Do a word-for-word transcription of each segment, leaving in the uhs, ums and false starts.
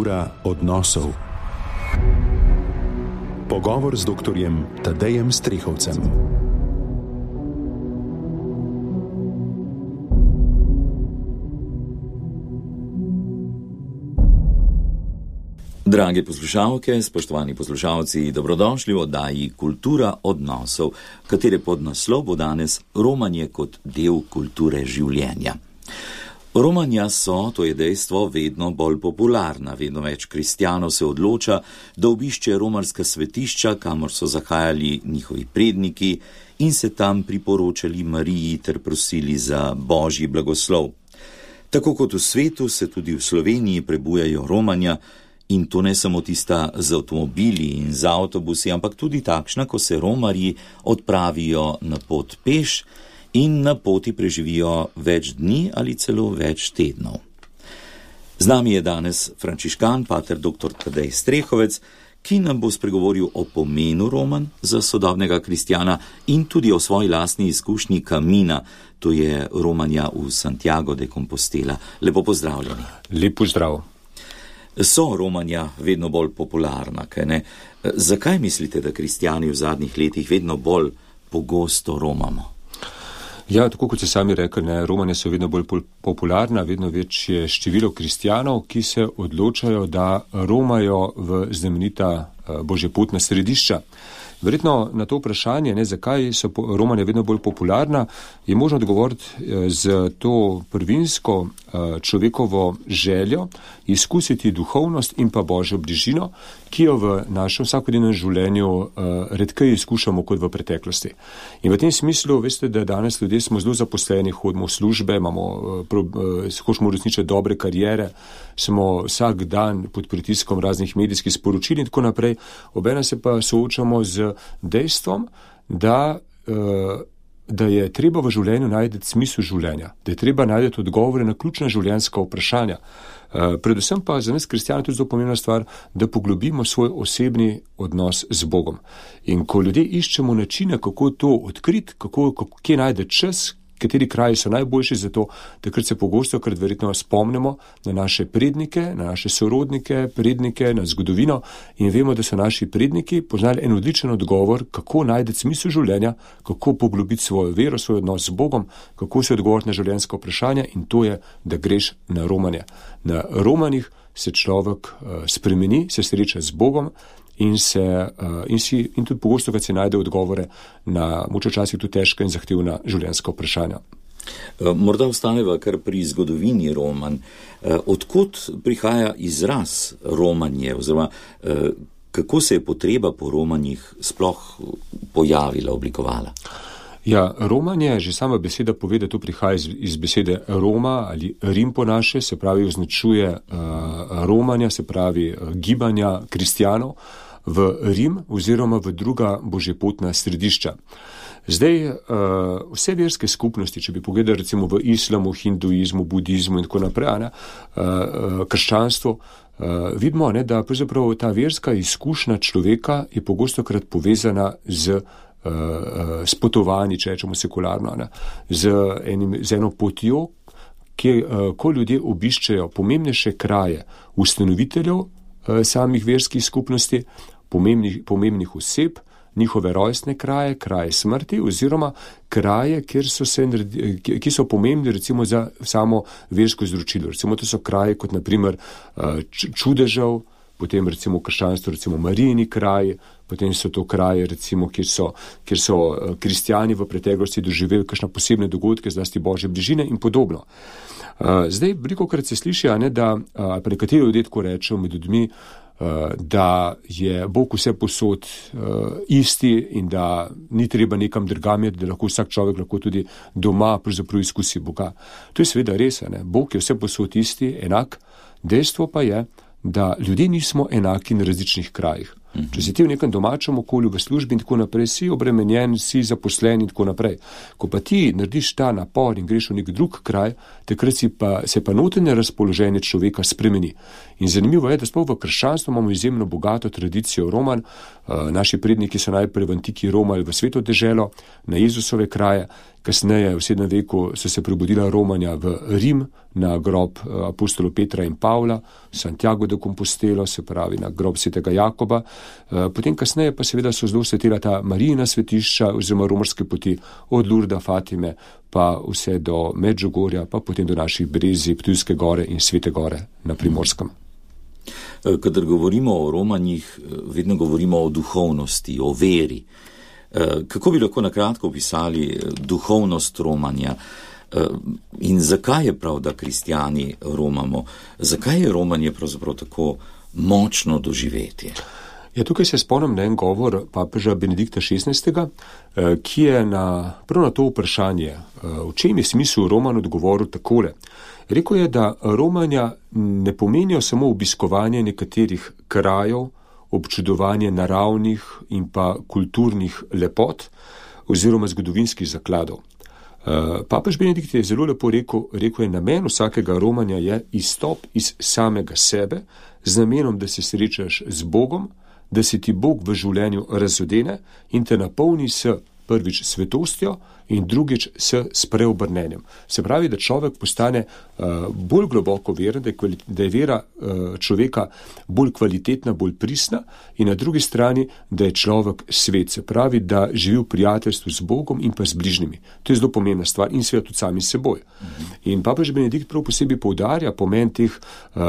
Kultura odnosov. Pogovor z doktorjem Tadejem Strehovcem. Drage poslušalke, spoštovani poslušalci, dobrodošli v oddaji Kultura odnosov, katere podnaslov bo danes romanje kot del kulture življenja. Romanja so, to je dejstvo, vedno bolj popularna, vedno več kristjanov se odloča, da obišče romarska svetišča, kamor so zahajali njihovi predniki in se tam priporočali Mariji ter prosili za božji blagoslov. Tako kot v svetu se tudi v Sloveniji prebujajo romanja, in to ne samo tista z avtomobili in z avtobusi, ampak tudi takšna, ko se romarji odpravijo na pot peš in na poti preživijo več dni ali celo več tednov. Z nami je danes frančiškan, pater doktor Tadej Strehovec, ki nam bo spregovoril o pomenu romanj za sodobnega kristjana in tudi o svoji lastni izkušnji kamina, to je romanja v Santiago de Compostela. Lepo pozdravljeni. Lep pozdrav. So romanja vedno bolj popularna, kaj ne? Zakaj mislite, da kristjani v zadnjih letih vedno bolj pogosto romamo? Ja, tako kot ste sami rekli, ne, romanja so vedno bolj popularna, vedno več je število kristjanov, ki se odločajo, da romajo v znamenita božjepotna središča. Verjetno na to vprašanje, ne, zakaj so romanja vedno bolj popularna, je možno odgovoriti z to prvinsko človekovo željo izkusiti duhovnost in pa božjo bližino, ki jo v našem vsakodnevnem življenju redkeje izkušamo kot v preteklosti. In v tem smislu, veste, da danes ljudje smo zelo zaposleni, hodimo v službe, imamo, hočemo uresničiti dobre karijere, smo vsak dan pod pritiskom raznih medijskih sporočil in tako naprej, obenem se pa soočamo z dejstvom, da, da je treba v življenju najti smisel življenja, da je treba najti odgovore na ključna življenjska vprašanja. Predvsem pa za nas kristjane tudi zelo pomembna stvar, da poglobimo svoj osebni odnos z Bogom. In ko ljudje iščemo načine, kako to odkriti, kako, kako, kje najde čas, kateri kraji so najboljši za to, takrat se pogosto, krat verjetno spomnimo na naše prednike, na naše sorodnike, prednike, na zgodovino in vemo, da so naši predniki poznali en odličen odgovor, kako najti smisel življenja, kako poglobiti svojo vero, svoj odnos z Bogom, kako se odgovoriti na življenjska vprašanja in to je, da greš na romanje. Na romanjih se človek uh, spremeni, se sreča z Bogom in, se, uh, in, si, in tudi pogosto, kad se najde odgovore na moč včasih tudi težka in zahtevna življenjska vprašanja. Morda ostaneva kar pri zgodovini romanj. Odkot prihaja izraz romanje, oziroma kako se je potreba po romanjih sploh pojavila, oblikovala? Ja, romanje, že sama beseda pove, da to prihaja iz, iz besede Roma ali Rim po naše, se pravi označuje uh, romanja, se pravi uh, gibanja kristjanov v Rim oziroma v druga božjepotna središča. Zdaj, uh, vse verske skupnosti, če bi pogledali recimo v islamu, hinduizmu, budizmu in tako naprej, ne, uh, krščanstvo, uh, vidimo, ne, da pravzaprav ta verska izkušnja človeka je pogostokrat povezana z s potovanji, če rečemo sekularno, ne, z, enim, z eno potjo, ki, ko ljudje obiščejo pomembnejše kraje ustanoviteljev samih verskih skupnosti, pomembnih, pomembnih oseb, njihove rojstne kraje, kraje smrti oziroma kraje, kjer so se, ki so pomembni recimo za samo versko izročilo. Recimo to so kraje kot naprimer čudežev, potem recimo krščanstvo, recimo Marijini kraji, potem so to kraje, recimo, kjer so, kjer so kristjani v preteklosti doživeli kakšne posebne dogodke, zlasti božje bližine in podobno. Zdaj, velikokrat se sliši, ne, da, pa nekateri ljudje tako rečejo med ljudmi, da je Bog vse posod isti in da ni treba nekam drugam iti, da lahko vsak človek lahko tudi doma pravzaprav izkusi Boga. To je seveda res, ne. Bog je vse posod isti, enak, dejstvo pa je, da ljudje nismo enaki na različnih krajih. Če si ti v nekem domačem okolju, v službi in tako naprej, si obremenjen, si zaposlen in tako naprej. Ko pa ti narediš ta napor in greš v nek drug kraj, takrat si pa, se pa notranje razpoloženje človeka spremeni. In zanimivo je, da sploh v krščanstvu imamo izjemno bogato tradicijo romanj. Naši predniki so najprej v antiki romali v Sveto deželo, na Jezusove kraje, kasneje v sedmem veku so se prebudila romanja v Rim na grob apostolov Petra in Pavla, Santiago de Compostelo, se pravi na grob svetega Jakoba. Potem kasneje pa seveda so zelo svetila ta Marijina svetišča oziroma romarske poti od Lurda, Fatime pa vse do Medžugorja, pa potem do naših Brezij, Ptujske gore in Svete gore na Primorskem. Kadar govorimo o romanjih, vedno govorimo o duhovnosti, o veri. Kako bi lahko nakratko opisali duhovnost romanja in zakaj je prav, da kristjani romamo? Zakaj je romanje pravzaprav tako močno doživetje? Ja, tukaj se spomnim na en govor papeža Benedikta šestnajstega, ki je na, prav na to vprašanje, v čem je smisel roman odgovoril takole. Rekel je, da romanja ne pomenijo samo obiskovanje nekaterih krajev, občudovanje naravnih in pa kulturnih lepot oziroma zgodovinskih zakladov. Papež Benedikt je zelo lepo rekel, rekel je, namen vsakega romanja je izstop iz samega sebe z namenom, da se srečaš z Bogom, da se ti Bog v življenju razodene in te napolni s prvič svetostjo in drugič s spreobrnenjem. Se pravi, da človek postane uh, bolj globoko veren, da je, kvali, da je vera uh, človeka bolj kvalitetna, bolj pristna in na drugi strani, da je človek svet. Se pravi, da živi v prijateljstvu z Bogom in pa z bližnjimi. To je zelo pomembna stvar in seveda tudi sami s seboj. Mhm. In papež Benedikt prav posebej poudarja pomen teh uh,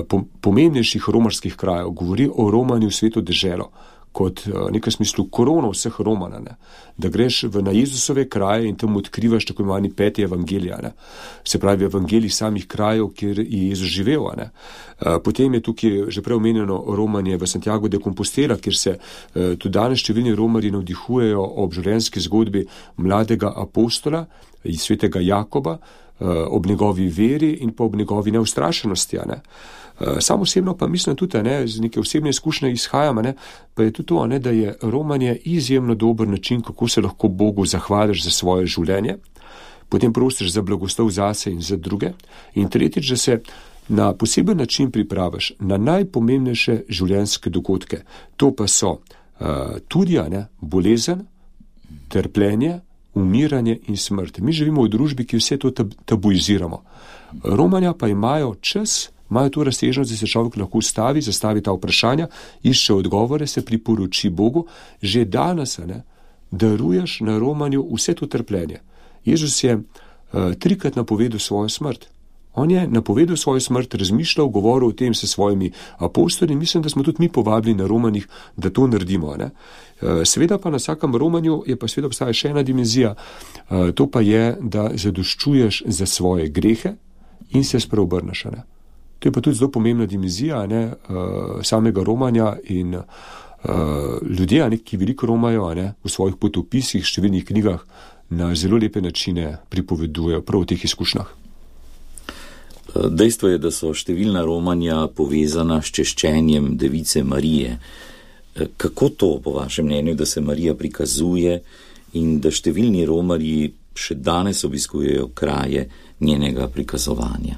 uh, pomembnejših romarskih krajev. Govori o romanju v svetu deželo kot v nekem smislu korona vseh Romana, ne? Da greš v, na Jezusove kraje in tam odkrivaš tako imenovani peti evangelija, ne? Se pravi evangelij samih krajev, kjer je Jezus živel. Ne? Potem je tukaj že prej omenjeno romanje v Santiago de Compostela, kjer se tudi danes številni romarji navdihujejo ob življenjski zgodbi mladega apostola iz svetega Jakoba, ob njegovi veri in pa ob njegovi neustrašenosti. Ne? Sam osebno pa mislim tudi, ne, z neke osebne izkušnje izhajam, ne, pa je tudi to, ne, da je romanje izjemno dober način, kako se lahko Bogu zahvališ za svoje življenje, potem prosiš za blagoslov zase in za druge in tretjič, da se na poseben način pripraviš na najpomembnejše življenjske dogodke. To pa so uh, tudi ne, bolezen, trpljenje, umiranje in smrt. Mi živimo v družbi, ki vse to tab- tabuiziramo. Romanja pa imajo čas, imajo to razsežnost, da se človek lahko ustavi, zastavi ta vprašanja, išče odgovore, se priporoči Bogu. Že danes ne, daruješ na romanju vse to trpljenje. Jezus je uh, trikrat napovedal svojo smrt. On je napovedal svojo smrt, razmišljal, govoril o tem s svojimi apostoli in mislim, da smo tudi mi povabili na romanjih, da to naredimo. Ne? Seveda pa na vsakem romanju je pa seveda obstaja še ena dimenzija, to pa je, da zadoščuješ za svoje grehe in se spreobrneš. Ne? To je pa tudi zelo pomembna dimenzija ne? samega romanja in ljudje, ne? ki veliko romajo ne? v svojih potopisih, številnih knjigah, na zelo lepe načine pripovedujejo prav o teh izkušnjah. Dejstvo je, da so številna romanja povezana s češčenjem device Marije. Kako to, po vašem mnenju, da se Marija prikazuje in da številni romarji še danes obiskujejo kraje njenega prikazovanja?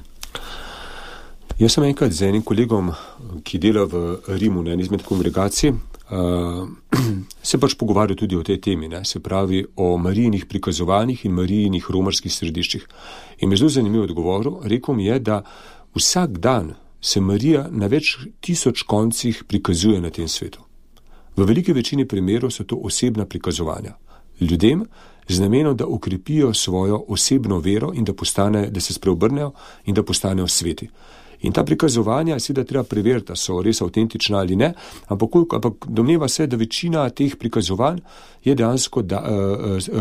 Jaz sem enkrat z enim kolegom, ki dela v Rimu na eni izmed kongregacij, uh, se pač pogovarjal tudi o tej temi, ne? Se pravi o Marijinih prikazovanjih in Marijinih romarskih središčih. In me zelo zanimivo odgovoril, rekel mi je, da vsak dan se Marija na več tisoč koncih prikazuje na tem svetu. V veliki večini primerov so to osebna prikazovanja. Ljudem z namenom, da okrepijo svojo osebno vero in da, postane, da se spreobrnejo in da postanejo sveti. In ta prikazovanja seveda treba preveriti, da so res avtentična ali ne, ampak, ampak domneva se, da večina teh prikazovanj je dejansko, da,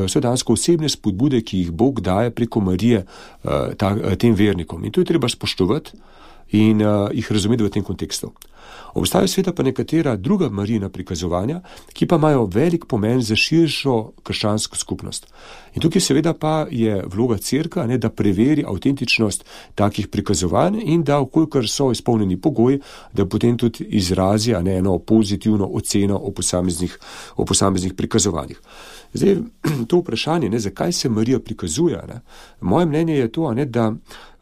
so dejansko osebne spodbude, ki jih Bog daje preko Marije ta, tem vernikom. In to je treba spoštovati in uh, jih razumeti v tem kontekstu. Obstajajo sveta pa nekatera druga Marijina prikazovanja, ki pa imajo velik pomen za širšo krščansko skupnost. In tukaj seveda pa je vloga cerkve, ne, da preveri avtentičnost takih prikazovanj in da, okolikor so izpolnjeni pogoji, da potem tudi izrazi ne, eno pozitivno oceno o posameznih, o posameznih prikazovanjih. Zdaj, to vprašanje, ne, zakaj se Marija prikazuje, ne, moje mnenje je to, ne, da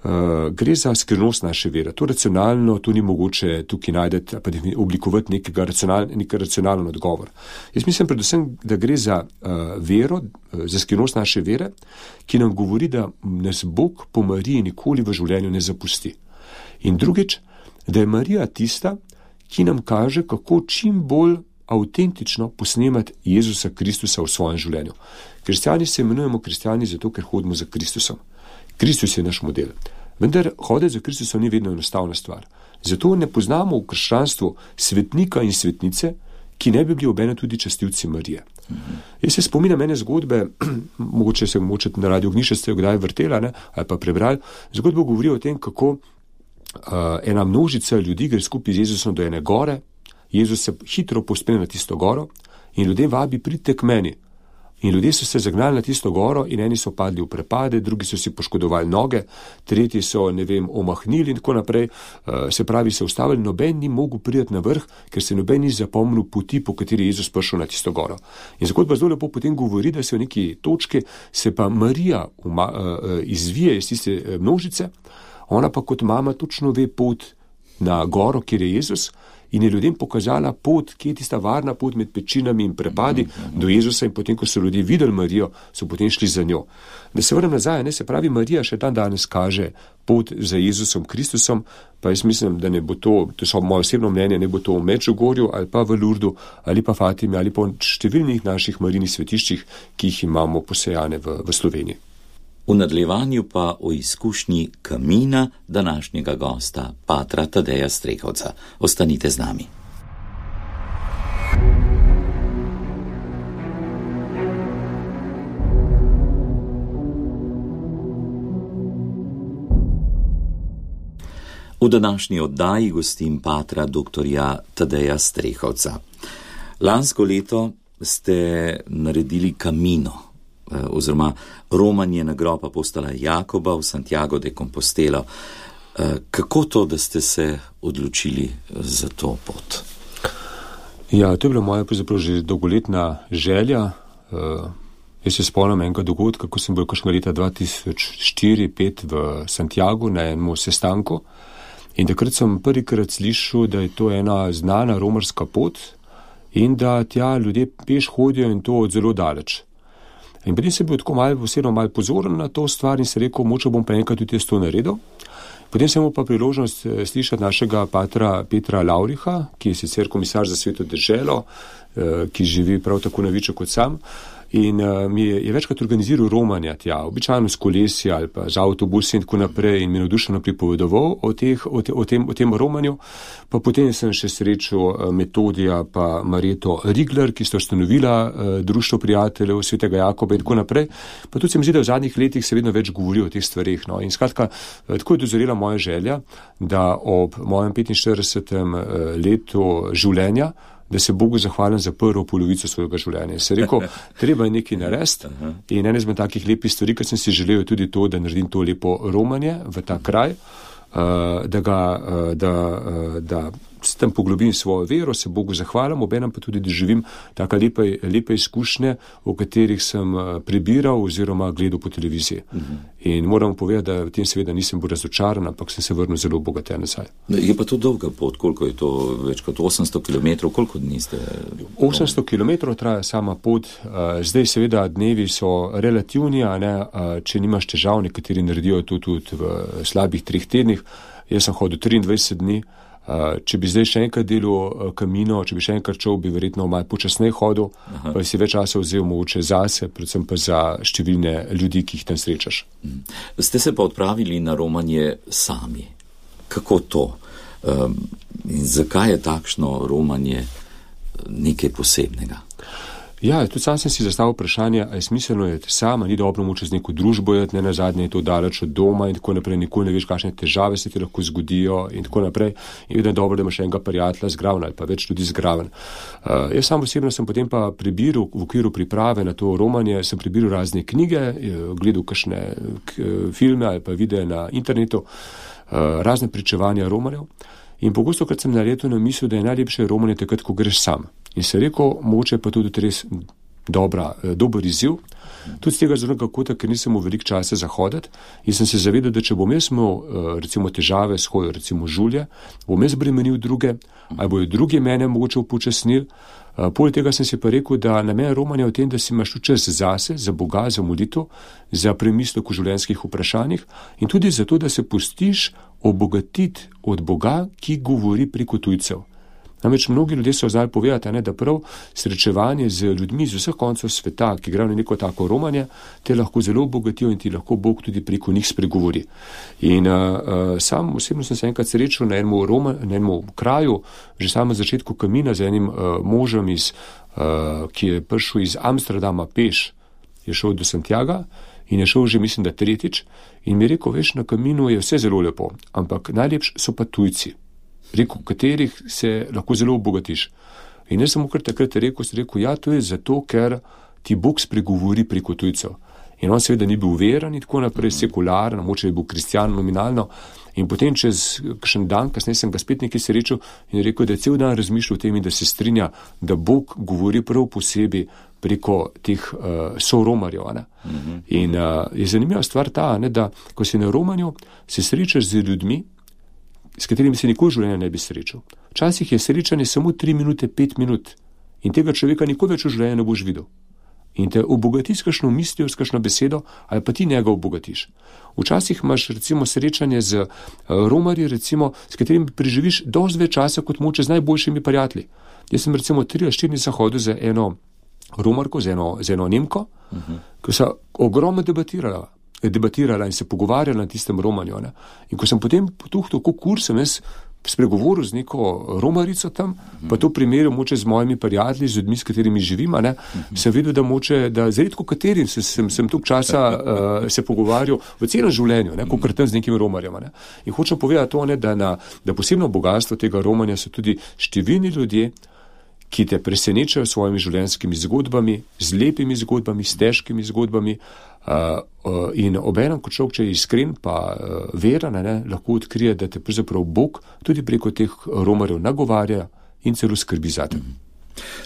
Uh, gre za skrivnost naše vere. To racionalno, to ni mogoče tukaj najdeti, pa oblikovati nekega racional, nek racionalen odgovor. Jaz mislim predvsem, da gre za uh, vero, za skrivnost naše vere, ki nam govori, da nas Bog po Mariji nikoli v življenju ne zapusti. In drugič, da je Marija tista, ki nam kaže, kako čim bolj avtentično posnemati Jezusa Kristusa v svojem življenju. Kristjani se imenujemo kristjani zato, ker hodimo za Kristusom. Kristus je naš model. Vendar hoditi za Kristusom ni vedno enostavna stvar. Zato ne poznamo v krščanstvu svetnika in svetnice, ki ne bi bili obenem tudi častilci Marije. Mm-hmm. Jaz se spominjam ene zgodbe, mogoče se mogoče na Radio Ognišče ste jo kdaj vrtela, ne, ali pa prebrali, zgodbo govori o tem, kako uh, ena množica ljudi gre skupaj z Jezusom do ene gore, Jezus se hitro povzpne na tisto goro in ljudem vabi, pridite k meni. In ljudje so se zagnali na tisto goro in eni so padli v prepade, drugi so si poškodovali noge, tretji so, ne vem, omahnili in tako naprej. Uh, se pravi, se ustavili, noben ni mogel priti na vrh, ker se noben ni zapomnil poti, po kateri je Jezus prišel na tisto goro. In zgodba zelo lepo potem govori, da se v neki točki se pa Marija uma, uh, izvije iz tiste množice, ona pa kot mama točno ve pot na goro, kjer je Jezus, in je ljudem pokazala pot, kje je tista varna pot med pečinami in prepadi mm-hmm. do Jezusa, in potem, ko so ljudje videli Marijo, so potem šli za njo. Da se vrnem nazaj, ne, se pravi, Marija še dan danes kaže pot za Jezusom Kristusom, pa jaz mislim, da ne bo to, to so moje osebno mnenje, ne bo to v Medžugorju ali pa v Lurdu ali pa Fatimi ali pa v številnih naših marijnih svetiščih, ki jih imamo posejane v, v Sloveniji. V nadaljevanju pa o izkušnji kamina današnjega gosta, patra Tadeja Strehovca. Ostanite z nami. V današnji oddaji gostim patra doktorja Tadeja Strehovca. Lansko leto ste naredili kamino, oziroma romanje na grob apostola Jakoba v Santiago de Compostelo. Kako to, da ste se odločili za to pot? Ja, to je bila moja pravzaprav že dolgoletna želja. Jaz se spomnim enega dogodka, ko sem bil kakšnega leta dva tisoč štiri pet v Santiagu na enem sestanku, in takrat sem prvikrat slišal, da je to ena znana romarska pot in da tja ljudje peš hodijo in to od zelo daleč. In potem sem bil tako malo, vseeno malo pozoren na to stvar in se rekel, moče bom pa enkrat tudi jaz to naredil. Potem sem imel pa priložnost slišati našega patra Petra Lauriha, ki je sicer komisar za Sveto deželo, ki živi prav tako na Viču kot sam. In uh, mi je, je večkrat organiziral romanja tja, običajno s kolesi ali pa z avtobusi in tako naprej, in mi navdušeno pripovedoval o, teh, o, te, o, tem, o tem romanju. Pa potem sem še srečal uh, Metodija pa Marjeto Rigler, ki sta ustanovila uh, Društvo prijateljev Svetega Jakoba in tako naprej. Pa tudi se mi zdi, da v zadnjih letih se vedno več govori o teh stvareh. No. In skratka, uh, tako je dozorela moja želja, da ob mojem petinštiridesetem uh, letu življenja, da se Bogu zahvalim za prvo polovico svojega življenja. Se rekel, treba je nekaj narediti, in ena izmed takih lepih stvari, ker sem si želel tudi to, da naredim to lepo romanje v ta kraj, da ga, da, da s tem poglobim svojo vero, se Bogu zahvalim, obenem pa tudi, da živim taka lepe, lepe izkušnje, o katerih sem prebiral oziroma gledal po televiziji. Uh-huh. In moram povedati, da v tem seveda nisem bil razočaran, ampak sem se vrnil zelo bogaten nazaj. Je pa to dolga pot, koliko je to, več kot osemsto kilometrov, koliko dni ste? osemsto kilometrov traja sama pot, zdaj seveda dnevi so relativni, a ne, če nimaš težav, nekateri naredijo to tudi v slabih treh tednih, jaz sem hodil triindvajset dni. Uh, če bi zdaj še enkrat delal uh, kamino, če bi še enkrat šel, bi verjetno malo počasneje hodil, Aha. pa bi si več časa vzel mogoče zase, predvsem pa za številne ljudi, ki jih tam srečaš. Mm. Ste se pa odpravili na romanje sami. Kako to? Um, in zakaj je takšno romanje nekaj posebnega? Ja, tudi sam sem si zastavil vprašanje, a je smiselno je sama, ni dobro moče z neko družbo jeti, ne nazadnje je to daleč od doma in tako naprej, nikoli ne veš, kakšne težave se ti lahko zgodijo in tako naprej. In vedno je dobro, da imaš enega prijatelja zgraven ali pa več tudi zgraven. Uh, jaz sam osebno sem potem pa prebiral v okviru priprave na to romanje, sem prebiral razne knjige, gledal kakšne k, filme ali pa videe na internetu, uh, razne pričevanja romanjev. In pogosto, krat sem naredil na misel, da je najlepše romanje takrat, ko greš sam. In se rekel, mogoče pa tudi res dobra, dober izziv. Tudi z tega zornega kota, ker nisem imel veliko časa za hoditi in sem se zavedal, da če bom jaz imel recimo težave s hojo, recimo žulje, bom jaz bremenil druge, ali bojo drugi mene mogoče upočasnili. Poleg tega sem si pa rekel, da namen romanja je v tem, da si imaš čas zase, za Boga, za molitev, za premislek o življenjskih vprašanjih in tudi zato, da se pustiš obogatiti od Boga, ki govori preko tujcev. Namreč mnogi ljudje so znali povedati, ne, da prav srečevanje z ljudmi z vseh koncev sveta, ki grejo na neko tako romanje, te lahko zelo obogatijo in ti lahko Bog tudi preko njih spregovori. In uh, uh, sam osebno sem se enkrat srečal na enem, Roma, na enem kraju, že samo na začetku kamina z enim uh, možem, iz, uh, ki je prišel iz Amsterdama peš, je šel do Santiaga in je šel že, mislim, da tretjič in mi je rekel, veš, na kaminu je vse zelo lepo, ampak najlepši so pa tujci. Rekel, katerih se lahko zelo obogatiš. In jaz sem kar takrat rekel, sem rekel, ja, to je zato, ker ti Bog spregovori preko tujcev. In on seveda ni bil veren in tako naprej, sekularen, moče je bil kristjan nominalno. In potem čez kakšen dan, kasneje sem ga spet nekaj srečal in rekel, da je cel dan razmišljal o tem in da se strinja, da Bog govori prav posebej preko teh uh, soromarjev. Mm-hmm. In uh, je zanimiva stvar ta, ne, da ko si na romanju, se srečaš z ljudmi, s katerimi se nikoli v življenju ne bi srečal. Včasih je srečanje samo tri minute, pet minut in tega človeka nikoli več v življenju ne boš videl. In te obogati s kakšno mislijo, s kakšno besedo, ali pa ti njega obogatiš. Včasih imaš recimo srečanje z uh, romarji, recimo, s katerimi preživiš dosti več časa kot moče z najboljšimi prijatelji. Jaz sem recimo tri ali štiri dni hodil za eno romarko, za eno, za eno Nemko, uh-huh. Ko so ogromno debatirala. debatirala in se pogovarjala na tistem romanju. Ne? In ko sem potem potuhtal, kako kur sem jaz spregovoril z neko romarico tam, mm-hmm. pa to primerjal moče z mojimi prijatelji, z ljudmi, s katerimi živim, ne? Mm-hmm. Sem videl, da moče, da z redko katerim sem, sem, sem tok časa uh, se pogovarjal v celem življenju, ne? Kakor tam z nekimi romarjama. Ne? In hočem povedati to, ne, da, na, da posebno bogatstvo tega romanja so tudi številni ljudje, ki te presenečajo svojimi življenjskimi zgodbami, z lepimi zgodbami, s težkimi zgodbami, uh, uh, in obenem, kot človek, če je iskren pa uh, veren, ne, lahko odkrije, da te pravzaprav Bog tudi preko teh romarjev nagovarja in celo skrbi za te.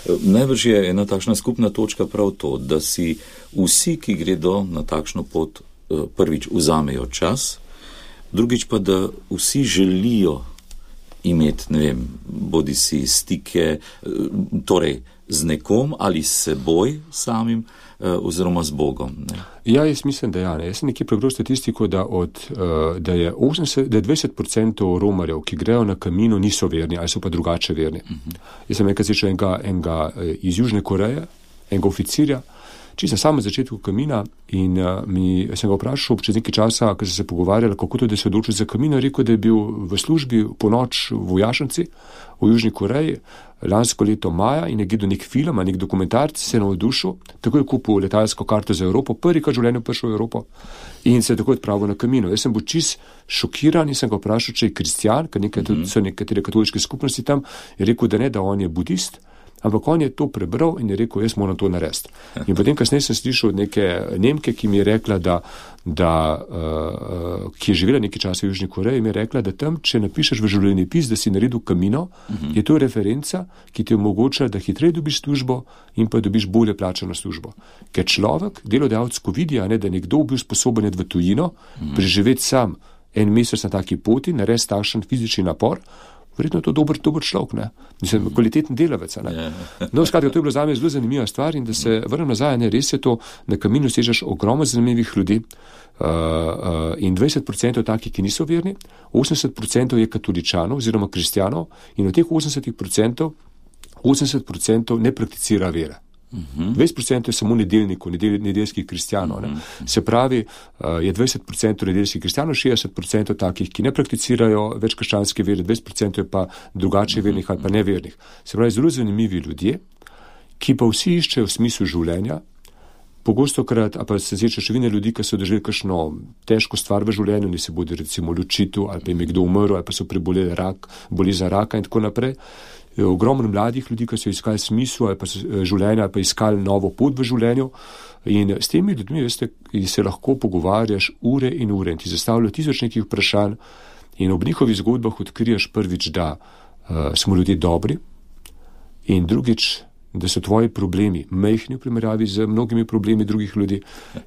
Najbrž je ena takšna skupna točka prav to, da si vsi, ki gredo na takšno pot, prvič vzamejo čas, drugič pa, da vsi želijo imeti, ne vem, bodi si stike, torej z nekom ali s seboj samim, oziroma z Bogom. Ne? Ja, jaz mislim, da ja. Ne. Jaz sem nekaj prebral statistiko, da, od, da je osemdeset, da je dvajset procentov romarjev, ki grejo na kamino, niso verni ali so pa drugače verni. Uh-huh. Jaz sem enkrat slišal enega, enega iz Južne Koreje, enega oficirja, čisto na samem začetku kamina in uh, mi, sem ga vprašal čez nekaj časa, ko sem se pogovarjal, kako to, da se odločil za kamino, rekel, da je bil v službi po noč v vojašnici v Južni Koreji lansko leto maja in je gledal nek film, nek dokumentarc, se je navdušil, tako je kupil letalsko karto za Evropo, prvi krat v življenju prišel v Evropo in se je tako odpravil na kamino. Jaz sem bil čist šokiran in sem ga vprašal, če je kristjan, ker nekaj, mm-hmm. so nekatere katoliške skupnosti tam, je rekel, da ne, da on je budist. Ampak on je to prebral in je rekel, jaz moram to narediti. In potem kasneje sem slišal od neke Nemke, ki mi je rekla, da, da uh, ki je živela nekaj časa v Južni Koreji, mi je rekla, da tam, če napišeš v življenjepis, da si naredil kamino, uh-huh. je to referenca, ki ti omogoča, da hitreje dobiš službo in pa dobiš bolje plačano službo. Ker človek, delodajalec, ko vidi, ne, da je nekdo bil sposoben iti v tujino, uh-huh. preživeti sam en mesec na taki poti, narediti takšen fizični napor, verjetno je to dober, dober človek, ne? Mislim, kvaliteten delavec, ne? Yeah. No, skratka, to je bilo zame zelo zanimiva stvar in da se vrnem nazaj, ne, res je to, na kaminu sežeš ogromno zanimivih ljudi uh, uh, in dvajset procentov takih, ki niso verni, osemdeset procentov je katoličanov oziroma kristjanov in od teh osemdeset procentov, osemdeset procentov ne prakticira vere. Uh-huh. dvajset procentov je samo nedeljnikov, nedel, nedeljskih kristjanov. Ne? Uh-huh. Se pravi, uh, je dvajset procentov nedeljskih kristjanov, šestdeset procentov takih, ki ne prakticirajo več krščanske vere, dvajset procentov je pa drugače uh-huh. vernih ali pa nevernih. Se pravi, zelo zanimivi ljudje, ki pa vsi iščejo smisel življenja. Pogosto krat, a pa se sreča številne ljudi, ki so doživeli kakšno težko stvar v življenju, ne se bodi recimo ločitev, ali pa jim je kdo umrl, ali pa so preboleli rak, bolezen raka in tako naprej. Ogromno mladih ljudi, ki so iskali smisel ali pa življenja, ali pa iskali novo pot v življenju. In s temi ljudmi, veste, se lahko pogovarjaš ure in ure in ti zastavljajo tisoč nekih vprašanj in ob njihovih zgodbah odkriješ prvič, da uh, smo ljudje dobri in drugič, da so tvoji problemi majhni v primerjavi z mnogimi problemi drugih ljudi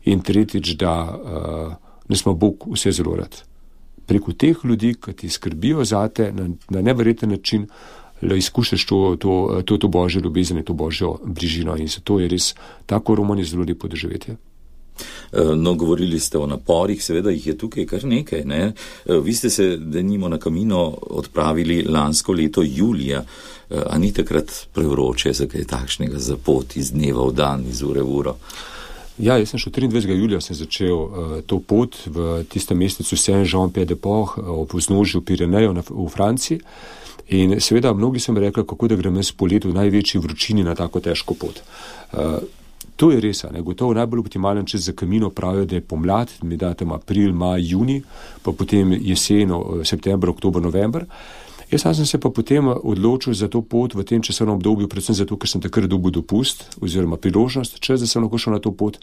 in tretjič, da uh, nas ima Bog vse zelo rad. Preko teh ljudi, ki ti skrbijo zate na, na neverjeten način, da izkušaš to, to, to, to božjo ljubezen in to božjo bližino in zato je res tako romanje zelo lepo doživetje. No, govorili ste o naporih, seveda jih je tukaj kar nekaj, ne? Vi ste se denimo na Camino odpravili lansko leto julija, a ni takrat prevroče za kaj takšnega, za pot iz dneva v dan, iz ure v uro? Ja, jaz sem šel triindvajsetega julija sem začel uh, to pot v tistem mestecu Saint-Jean-Pied-de-Port ob vznožju Pirenejev v Franciji in seveda mnogi so mi rekli, kako da grem jaz po letu v največji vročini na tako težko pot. Uh, to je res, ne, gotovo najbolj optimalen čas za Camino pravijo, da je pomlad, mi da tam april, maj, juni, pa potem jeseno, september, oktober, november. Jaz sem se pa potem odločil za to pot v tem časovnem obdobju, predvsem zato, ker sem takrat dobil dopust oziroma priložnost, čas, da sem lahko šel na to pot.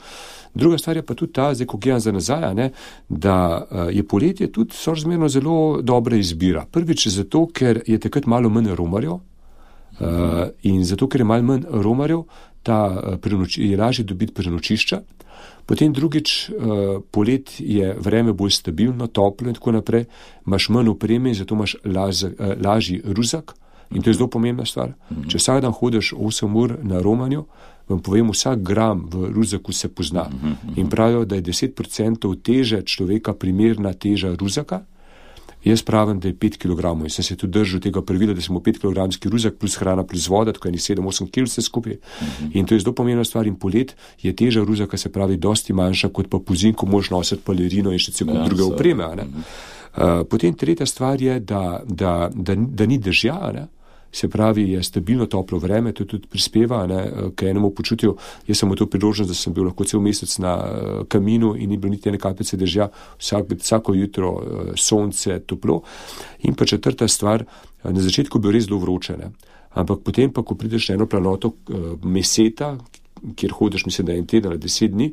Druga stvar je pa tudi ta, zdaj, ko gledam za nazaj, ne, da je poletje tudi sorazmerno zelo dobra izbira. Prvič zato, ker je takrat malo manj romarjev uh, in zato, ker je malo manj romarjev, ta prenoči, je lažje dobiti prenočišča. Potem drugič, uh, polet je vreme bolj stabilno, toplo in tako naprej, imaš manj opreme in zato imaš laz, uh, lažji ruzak in to je zelo pomembna stvar. Mm-hmm. Če vsak dan hodiš osem ur na romanju, vam povem, vsak gram v ruzaku se pozna. Mm-hmm. In pravijo, da je deset procentov teže človeka primerna teža ruzaka. Jaz pravim, da je pet kilogramov in sem se tudi držal tega pravila, da smo pet kilogramski ruzak plus hrana plus voda, tako je sedem osem kilogramov vse skupaj. Mm-hmm. In to je zelo pomembna stvar in polet je teža ruzaka, se pravi, dosti manjša kot pa pozim, ko moraš nositi palerino in še celo ja, druge opreme. Mm-hmm. Uh, potem tretja stvar je, da, da, da, da ni dežja, ne? Se pravi, je stabilno toplo vreme, to tudi prispeva ne, k enemu počutju. Jaz sem v to priložnost, da sem bil lahko cel mesec na Caminu in ni bilo niti ene kapljice dežja, vsak, vsako jutro sonce, toplo. In pa četrta stvar, na začetku je bil res zelo vroče, ne. Ampak potem pa, ko prideš na eno planoto Meseta, kjer hodiš, mislim, da je en teden ali deset dni,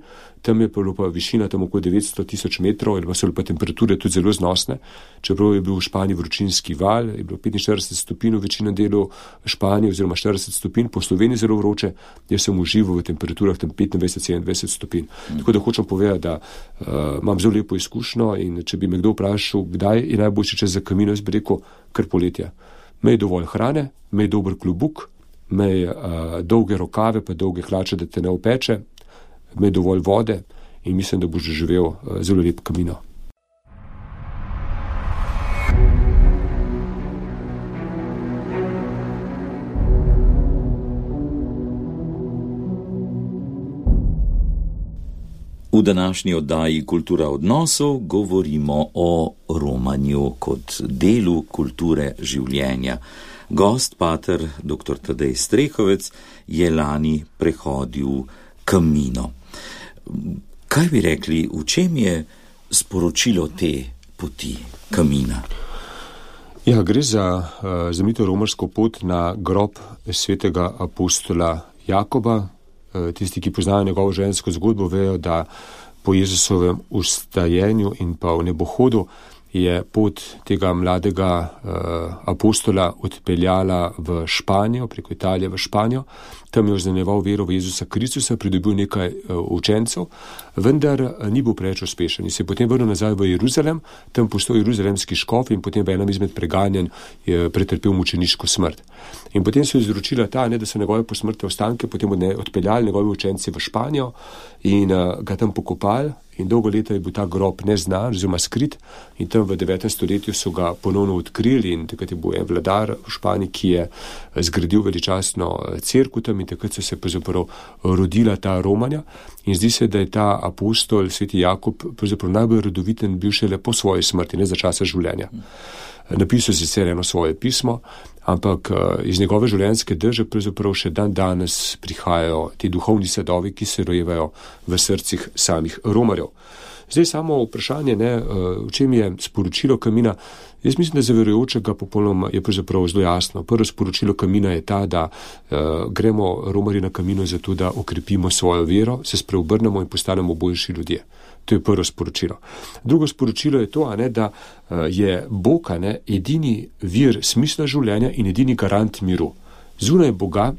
tam je pa višina tam okoli devetsto tisoč metrov, ali pa so pa temperature tudi zelo znosne. Čeprav je bil v Španiji vročinski val, je bilo petinštirideset stopinj v večino delu Španije oziroma štirideset stopinj, po Sloveniji zelo vroče, jaz sem užival v temperaturah tam petindvajset sedemindvajset stopinj. Mm. Tako da hočem povedati, da uh, imam zelo lepo izkušnjo in če bi me kdo vprašal, kdaj je najboljši čas za Camino, jaz bi rekel, kar poletje. Imej dovolj hrane, imej dober klobuk, imej uh, dolge rokave, pa dolge hlače, da te ne opeče, imej dovolj vode in mislim, da boš doživel uh, zelo lep Camino. V današnji oddaji Kultura odnosov govorimo o romanju kot delu kulture življenja. Gost, pater doktor Tadej Strehovec, je lani prehodil Camino. Kaj bi rekli, v čem je sporočilo te poti Camina? Ja, gre za uh, znamenito romarsko pot na grob svetega apostola Jakoba. Uh, tisti, ki poznajo njegovo življenjsko zgodbo, vejo, da po Jezusovem vstajenju in pa v nebohodu je pot tega mladega uh, apostola odpeljala v Španijo, preko Italije v Španijo. Tam je oznanjeval vero v Jezusa Kristusa, pridobil nekaj uh, učencev, vendar uh, ni bil preveč uspešen. In se je potem vrnil nazaj v Jeruzalem, tam postal jeruzalemski škof in potem v enem izmed preganjanj je pretrpel mučeniško smrt. In potem so izročila ta, ne, da so njegove posmrtne ostanke potem odpeljali njegovi učenci v Španijo in uh, ga tam pokopali. In dolgo leta je bil ta grob neznan, oziroma skrit, in tam v devetem stoletju so ga ponovno odkrili in takrat je bil en vladar v Španiji, ki je zgradil veličastno cerkev tam in takrat so se pravzaprav rodila ta romanja. In zdi se, da je ta apostol, sveti Jakob, pravzaprav najbolj rodoviten bil šele po svoji smrti, ne za časa življenja. Napisal je sicer eno svoje pismo, ampak iz njegove življenjske drže pravzaprav še dan danes prihajajo ti duhovni sadovi, ki se rojevajo v srcih samih romarjev. Zdaj samo vprašanje, ne, v čem je sporočilo Camina. Jaz mislim, da za verujočega popolnoma je pravzaprav zelo jasno. Prvo sporočilo Camina je ta, da uh, gremo romarji na Camino zato, da okrepimo svojo vero, se spreobrnemo in postanemo boljši ljudje. To je prvo sporočilo. Drugo sporočilo je to, a ne, da uh, je Bog, a ne, edini vir smisla življenja in edini garant miru. Zunaj Boga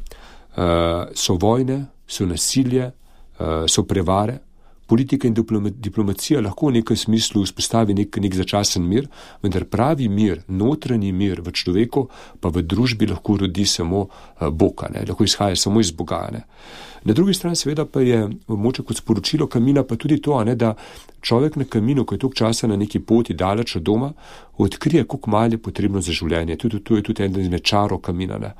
uh, so vojne, so nasilje, uh, so prevare. Politika in diplomacija lahko v nekem smislu vzpostavi nek, nek začasen mir, vendar pravi mir, notranji mir v človeku pa v družbi lahko rodi samo uh, Boga, ne? Lahko izhaja samo iz Boga. Ne? Na drugi strani seveda pa je moče kot sporočilo Kamina pa tudi to, ne, da človek na Kaminu, ko je toliko časa na neki poti daleč od doma, odkrije, koliko malo je potrebno za življenje. Tudi to je tudi eden izmed čarov Kamina. Ne.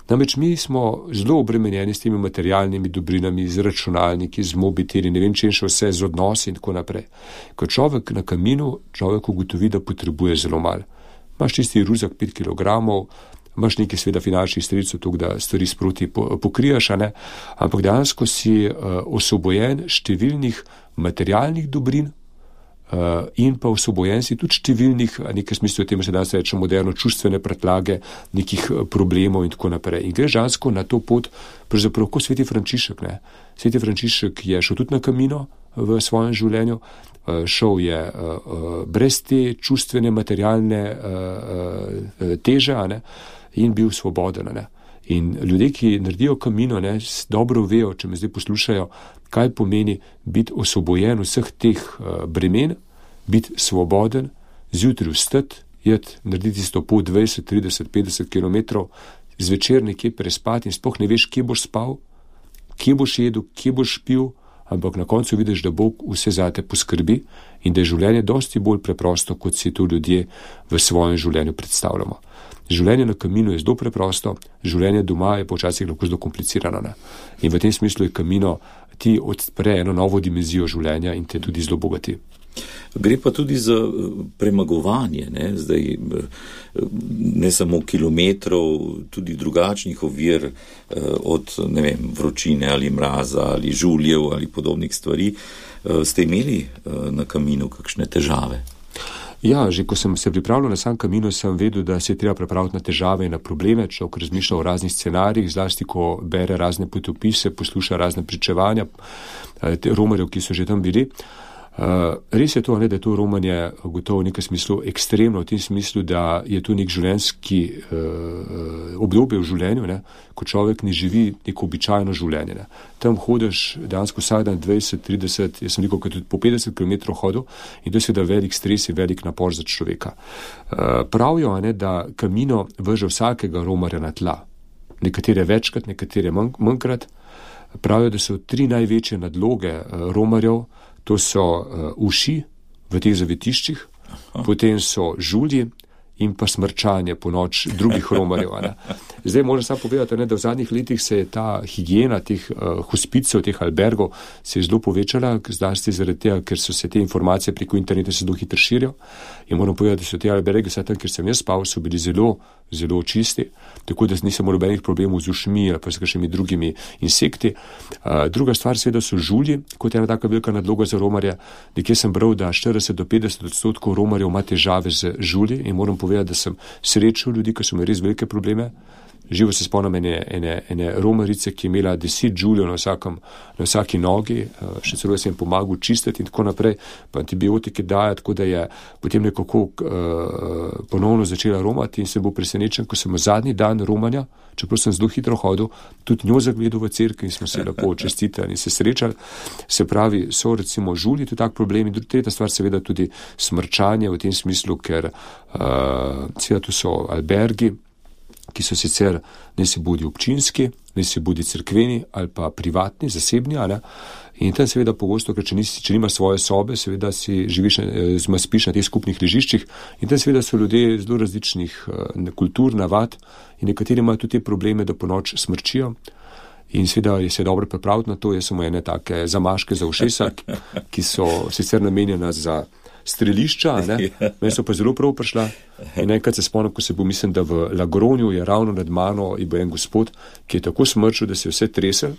Namreč mi smo zelo obremenjeni s temi materialnimi dobrinami, z računalniki, z mobiteli, ne vem, če še vse, z odnosi in tako naprej. Ko človek na Kaminu, človek ugotovi, da potrebuje zelo malo. Imaš tisti ruzak pet kilogramov, imaš nekaj sveda finančnih sredstev, tako da stvari sproti pokrijaš, a ne? Ampak dejansko si uh, osvobojen številnih materialnih dobrin uh, in pa osvobojen si tudi številnih, nekaj smislu, temu se danes reče moderno, čustvene pretlage, nekih problemov in tako naprej. In greš dejansko na to pot, pravzaprav kot sveti Frančišek, ne? Sveti Frančišek je šel tudi na Kamino v svojem življenju, uh, šel je uh, uh, brez te čustvene, materialne uh, uh, teže, a ne? In bil svoboden. Ne? In ljudje, ki naredijo Kamino, ne, dobro vejo, če me zdaj poslušajo, kaj pomeni biti osvobojen vseh teh uh, bremen, biti svoboden, zjutraj vstati, jeti, narediti sto pot dvajset, trideset, petdeset kilometrov, zvečer nekje prespati in sploh ne veš, kje boš spal, kje boš jedel, kje boš pil, ampak na koncu vidiš, da Bog vse zate poskrbi in da je življenje dosti bolj preprosto, kot si to ljudje v svojem življenju predstavljamo. Življenje na Kaminu je zelo preprosto, življenje doma je počasih lahko zelo komplicirano. Ne? In v tem smislu je Kamino ti odpre eno novo dimenzijo življenja in te tudi zelo bogati. Gre pa tudi za premagovanje, ne? Zdaj, ne samo kilometrov, tudi drugačnih ovir od, ne vem, vročine ali mraza ali žuljev ali podobnih stvari. Ste imeli na Kaminu kakšne težave? Ja, že ko sem se pripravljal na sam Kamino, sem vedel, da se je treba pripraviti na težave in na probleme, človek razmišlja o raznih scenarijih, zlasti ko bere razne potopise, posluša razne pričevanja romarjev, ki so že tam bili. Uh, res je to, ne, da je to romanje gotovo v nekem smislu ekstremno, v tem smislu, da je to nek življenjski uh, obdobje v življenju, ne, ko človek ne živi neko običajno življenje. Ne. Tam hodiš dejansko vsak dan dvajset, trideset, jaz sem rekel, tudi po petdeset kilometrov hodil in to je seveda velik stres in velik napor za človeka. Uh, pravijo, ne, da Kamino vrže vsakega romarja na tla. Nekatere večkrat, nekatere manj, manjkrat. Pravijo, da so tri največje nadloge uh, romarjev. To so uh, uši v teh zavetiščih, Aha. Potem so žulji in pa smrčanje po noč drugih romarjev. Ne. Zdaj moram samo povedati, ne, da v zadnjih letih se je ta higiena teh uh, hospicov, teh albergov se je zelo povečala, zlasti zaradi tega, ker so se te informacije preko interneta se zelo hitro širijo. In moram povedati, da so te alberge, vsaj tam, kjer sem jaz spal, so bili zelo, zelo čisti, tako da nisem imel nobenih problemov z ušmi ali pa s kakšnimi drugimi insekti. Uh, druga stvar seveda so žulji, kot je ena taka velika nadloga za romarja. Nekje sem bral, da štirideset do petdeset odstotkov romarjev ima težave z žulji in moram povedati, da sem srečal ljudi, ki so imeli res velike probleme. Živo se spomnim ene, ene, ene romarice, ki je imela deset žuljev na, vsakem, na vsaki nogi, še celo sem jim pomagal čistiti in tako naprej, pa antibiotike daje, tako da je potem nekako uh, ponovno začela romati in sem bil presenečen, ko sem zadnji dan romanja, čeprav sem zelo hitro hodil, tudi njo zagledal v cerkvi in smo se lepo čestitali in se srečali. Se pravi, so recimo žulji, to je tak problem in tretja stvar seveda tudi smrčanje v tem smislu, ker uh, seveda tu so albergi, ki so sicer ne si bodi občinski, ne si bodi cerkveni ali pa privatni, zasebni, ali? In tam seveda pogosto, ker če, nisi, če nimaš svoje sobe, seveda si živiš, zma spiš na teh skupnih ležiščih in tam seveda so ljudje zelo različnih kultur, navad in nekateri imajo tudi te probleme, da po noč smrčijo. In seveda je se dobro pripraviti na to, jaz samo ene take zamaške za ušesa, ki so sicer namenjena za strelišča, ne? Meni so pa zelo prav prišla in enkrat se spomnim, ko se bo, mislim, da v Lagronju je ravno nad mano in bo en gospod, ki je tako smrčil, da se je vse tresel.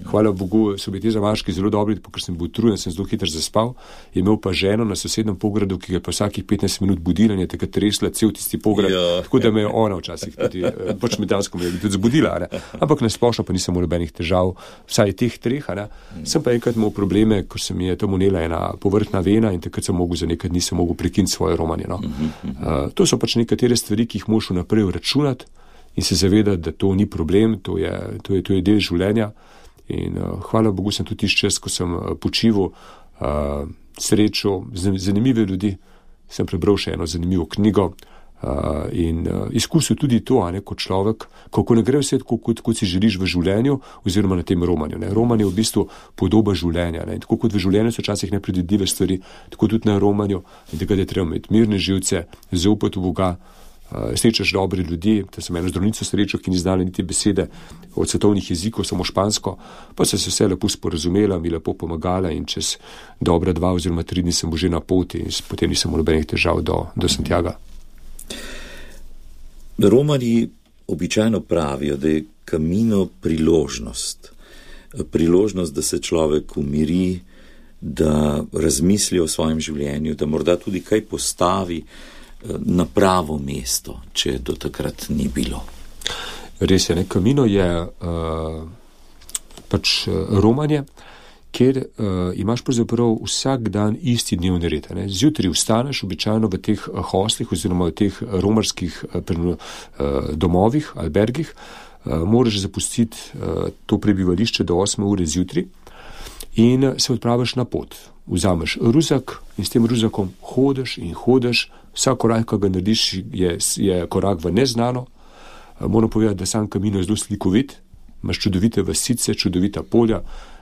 Hvala Bogu, so bili ti zamaški zelo dobri, ker sem bil utrujen, sem zelo hitro zaspal. Je imel pa ženo na sosednem pogradu, ki ga je pa vsakih petnajst minut budila in je takrat tresla cel tisti pograd, ja. Tako da me je ona včasih tudi, pač medansko me je tudi zbudila, ne. Ampak na splošno pa nisem imel nobenih težav, vsaj teh treh, ne. Sem pa enkrat imel probleme, ko se mi je tam unela ena povrtna vena in takrat sem mogel za nekaj dni sem mogel prekiniti svoje romanje, no. Uh, to so pač nekatere stvari, ki jih moš vnaprej računati in se zavedati, da to ni problem, to je, to je, to je del življenja. In uh, hvala Bogu sem tudi tisti čas, ko sem uh, počival, uh, srečo, zanimive ljudi, sem prebral še eno zanimivo knjigo uh, in uh, izkusil tudi to, a ne, kot človek, kako ne gre vse tako, kot, kot si želiš v življenju oziroma na tem romanju. Ne. Romanje je v bistvu podoba življenja. Ne. Tako kot v življenju so včasih nepredvidljive stvari, tako tudi na romanju, in tega je treba imeti mirne živce, zaupati v Boga, uh, srečaš dobre ljudi. To sem eno zdravnico srečal, ki ni znala niti besede od svetovnih jezikov, samo špansko, pa se se vse lepo sporazumela, mi lepo pomagala in čez dobra dva oziroma tri dni sem bo že na poti in potem nisem imel nobenih težav do, do Santiaga. Romarji običajno pravijo, da je Camino priložnost. Priložnost, da se človek umiri, da razmisli o svojem življenju, da morda tudi kaj postavi na pravo mesto, če do takrat ni bilo. Res je, ne, Camino je uh, pač romanje, kjer uh, imaš pravzaprav vsak dan isti dnevni red. Ne. Zjutraj vstaneš običajno v teh hostlih oziroma v teh romarskih uh, domovih, albergih, uh, moraš zapustiti uh, to prebivališče do osme ure zjutraj in se odpraviš na pot. Vzameš ruzak in s tem ruzakom hodiš in hodiš, vsak korak, ki ga narediš, je, je korak v neznano. Moram povedati, da sam Camino je zelo slikovit, imaš čudovite vasice, čudovita polja.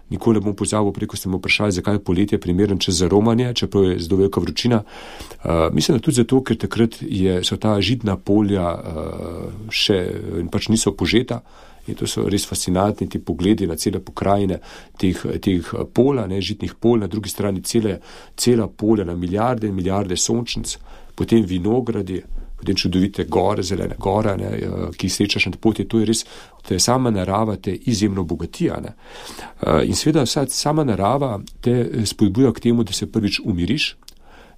Nikoli ne bom pozabil, preko ste me vprašali, zakaj je poletje primeren čas za romanje, čeprav je zelo velika vročina. Uh, mislim, da tudi zato, ker takrat je, so ta žitna polja uh, še pač niso požeta in to so res fascinantni ti pogledi na cele pokrajine teh, teh polja, ne, žitnih polj, na drugi strani cele, cela polja na milijarde in milijarde sončnic, potem vinogradi, potem čudovite gore, zelene gore, ne, ki jih srečaš na poti, to je res, to je sama narava te izjemno bogatija. Ne. In seveda vsa sama narava te spodbuja k temu, da se prvič umiriš,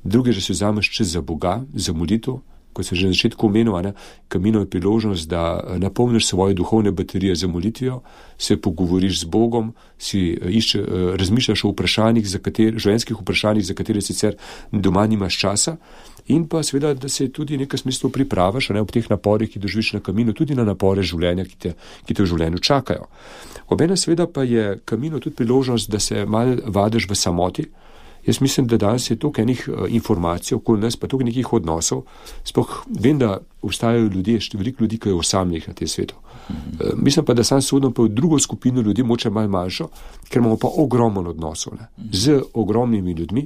drugič, da se vzameš čas za Boga, za molitev, kot sem že na začetku omenil, ne, Camino je priložnost, da napolniš svoje duhovne baterije za molitvijo, se pogovoriš z Bogom, si išče, razmišljaš o vprašanjih, za katere, življenjskih vprašanjih, za katere sicer doma nimaš časa, in pa seveda, da se tudi v nekem smislu pripravaš, ne, ob teh naporih, ki doživiš na Camino, tudi na napore življenja, ki te, ki te v življenju čakajo. Obenem seveda pa je Camino tudi priložnost, da se malo vadiš v samoti. Jaz mislim, da danes je toliko enih uh, informacij okoli nas, pa toliko nekih odnosov. Sploh vem, da obstajajo ljudje, veliko ljudi, ki je osamljenih na tem svetu. Mm-hmm. Uh, mislim pa, da sam sodim pa v drugo skupino ljudi, moče malo manjšo, ker imamo pa ogromno odnosov, ne, mm-hmm. z ogromnimi ljudmi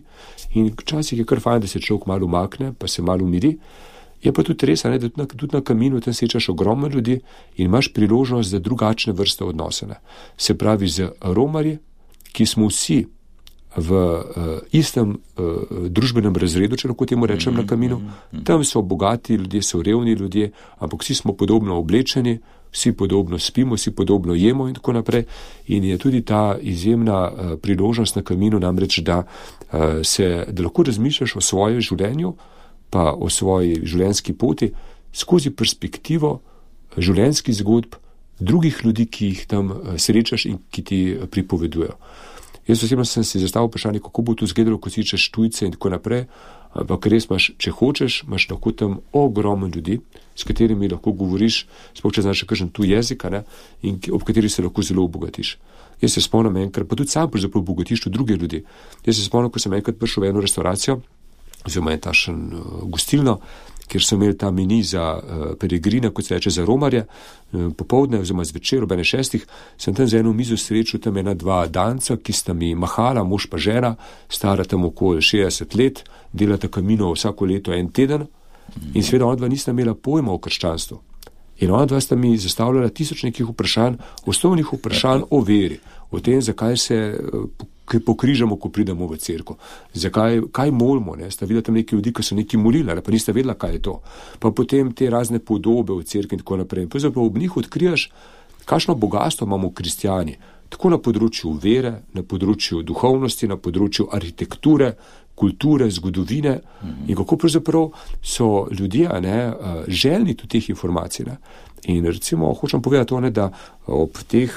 in včasih je kar fajn, da se človek malo umakne, pa se malo umiri. Je pa tudi res, ne, da tudi na, tudi na Caminu tam srečaš ogromno ljudi in imaš priložnost za drugačne vrste odnose. Ne. Se pravi z romarji, ki smo vsi v uh, istem uh, družbenem razredu, če lahko temu rečem, mm-hmm. na Caminu. Tam so bogati ljudje, so revni ljudje, ampak vsi smo podobno oblečeni, vsi podobno spimo, vsi podobno jemo in tako naprej. In je tudi ta izjemna uh, priložnost na Caminu namreč, da, uh, se, da lahko razmišljaš o svojem življenju, pa o svoji življenjski poti skozi perspektivo življenjskih zgodb drugih ljudi, ki jih tam uh, srečaš in ki ti uh, pripovedujejo. Jaz osebno sem si zastavil vprašanje, kako bo to izgledalo, ko si češ tujce in tako naprej, ampak res imaš, če hočeš, imaš lahko tam ogromno ljudi, s katerimi lahko govoriš, sploh če znaš kakšen tuj jezik, ne, in ob kateri se lahko zelo obogatiš. Jaz se spomnim enkrat, pa tudi sam pravzaprav obogatiš tudi druge ljudi. Jaz se spomnim, ko sem enkrat prišel v eno restauracijo, oziroma en tašen uh, gostilno, kjer so imeli ta meni za uh, peregrine, kot se reče, za romarje, uh, popoldne oziroma zvečer ob ene šestih, sem tam za eno mizo srečal tam ena dva danca, ki sta mi mahala, mož pa žena, stara tam okoli šestdeset let, delata Camino vsako leto en teden in seveda ona dva nista imela pojma o krščanstvu. In ona dva sta mi zastavljala tisoč nekih vprašanj, osnovnih vprašanj o veri, o tem, zakaj se uh, pokrižamo, ko pridemo v cerkev. Zakaj, kaj molimo, ne? Sta videla tam neki ljudi, ki so neki molili, pa nista vedela, kaj je to. Pa potem te razne podobe v cerkvi in tako naprej. Pa zapravo ob njih odkrijaš, kakšno bogatstvo imamo kristjani, tako na področju vere, na področju duhovnosti, na področju arhitekture, kulture, zgodovine mm-hmm. in kako pravzaprav so ljudje, ne, željni tudi teh informacij. Ne? In recimo, hočem povedati to, ne, da ob teh,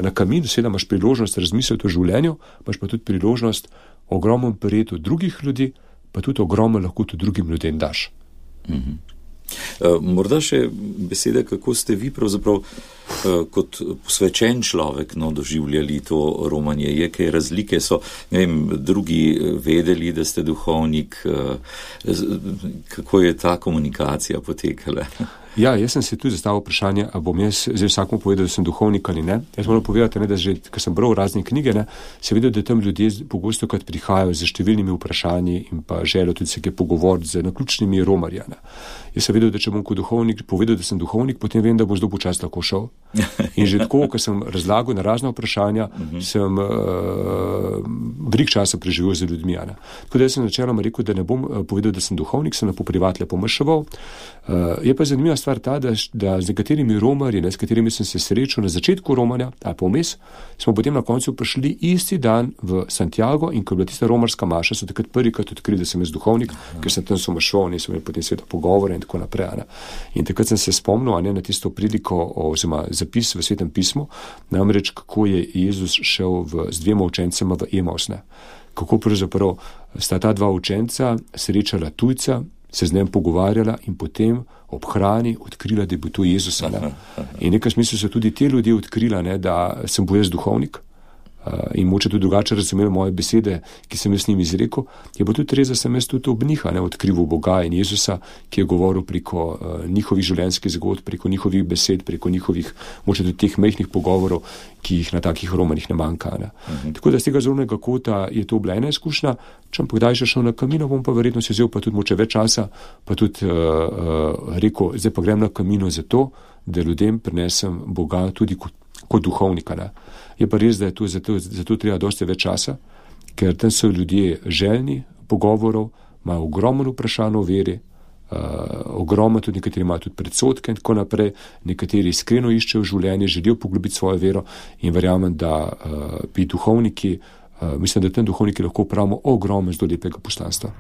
na Caminu seveda imaš priložnost razmisliti o življenju, imaš pa tudi priložnost ogromno prejeti od drugih ljudi, pa tudi ogromno lahko tudi drugim ljudem daš. Mm-hmm. Morda še besede, kako ste vi pravzaprav kot posvečen človek no, doživljali to romanje. Je kaj razlike? So, ne vem, drugi vedeli, da ste duhovnik? Kako je ta komunikacija potekala? Ja, jaz sem si tudi zastavil vprašanje, a bom jaz zdaj vsakomu povedal, da sem duhovnik ali ne. Jaz moram povedati, ne, da že, ker sem bral razne knjige, ne, se videl, da tam ljudje pogosto krat prihajajo z številnimi vprašanji in pa želijo tudi se kaj pogovoriti z naključnimi romarja. Ne. Jaz sem vedel, da če bom kot duhovnik povedal, da sem duhovnik, potem vem, da bom zelo počasno lahko šel. In že tako, ko sem razlagal na razna vprašanja, sem uh, veliko časa preživel z ljudmi. Ne. Tako da jaz sem načeloma rekel, da ne bom povedal, da sem duhovnik, sem lepo privatno pomrševal. Uh, je pa zanimiva stvar ta, da, da z nekaterimi romarji, ne, s katerimi sem se srečal na začetku romanja, a pa vmes, smo potem na koncu prišli isti dan v Santiago in ko je bila tista romarska maša, so takrat prvikrat odkrili, da sem jaz duhovnik, Aha. ker sem tam somršval in sem imel potem sveta pogovore in tako naprej. Ne. In takrat sem se spomnil ne, na tisto priliko oziroma zapis v Svetem pismu, namreč kako je Jezus šel v, z dvema učencema v Emaus. Ne. Kako pravzaprav sta ta dva učenca srečala tujca, se z njem pogovarjala in potem ob hrani odkrila, da je bil to Jezus. In v nekem smislu so tudi te ljudje odkrila, ne, da sem bil jaz duhovnik uh, in moče tudi drugače razumeli moje besede, ki sem jaz s njim izrekel. Je pa tudi res, da sem jaz tudi ob njih odkrival Boga in Jezusa, ki je govoril preko uh, njihovih življenjskih zgodb, preko njihovih besed, preko njihovih, moče tudi teh mehkih pogovorov, ki jih na takih romanih ne manjka. Ne. Uh-huh. Tako da z tega zornega kota je to bila ena izkušnja. Če bom kdaj še šel na Camino, bom pa verjetno si vzel pa tudi moče več časa, pa tudi uh, uh, rekel, zdaj pa grem na Camino zato, da ljudem prinesem Boga tudi kot, kot duhovnika. Ne. Je pa res, da je to zato, zato treba dosti več časa, ker tam so ljudje željni pogovorov, imajo ogromno vprašanj o veri, uh, ogromno tudi nekateri imajo tudi predsodke in tako naprej, nekateri iskreno iščejo življenje, želijo poglobiti svojo vero in verjamem, da uh, bi duhovniki Uh, mislim, da tem duhovniki lahko pravimo ogromno zelo lepega poslanstva.